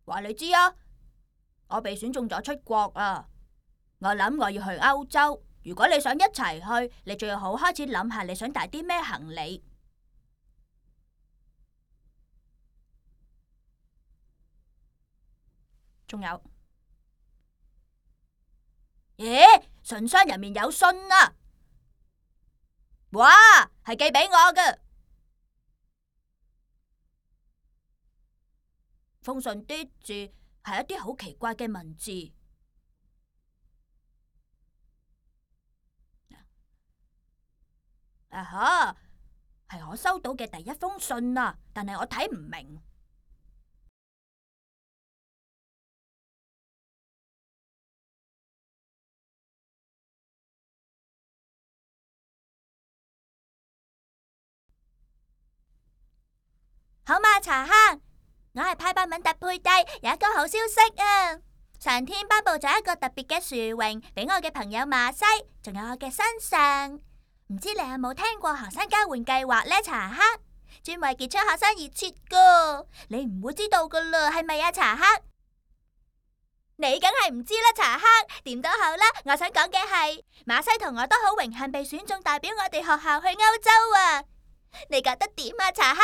話你知啊，我被選中咗出國啊！我諗我要去歐洲。如果你想一齊去，你最好開始諗下你想帶啲咩行李。仲有，咦？信箱入面有信啊！哇，係寄俾我嘅。封信啲字係一啲好奇怪嘅文字。啊哈，係我收到嘅第一封信啊，但係我睇唔明。好嘛，茶坑，我係派伯敏特佩蒂，有一個好消息啊！上天頒布咗一個特別嘅殊榮俾我嘅朋友馬西，仲有我嘅身上。唔知你有冇聽過學生交換計劃呢？茶坑，專為傑出學生而設噶，你唔會知道噶啦，係咪啊？茶坑，你梗係唔知啦，茶坑。點都好啦，我想講嘅係馬西同我都好榮幸被選中代表我哋學校去歐洲啊！你覺得點啊，茶坑？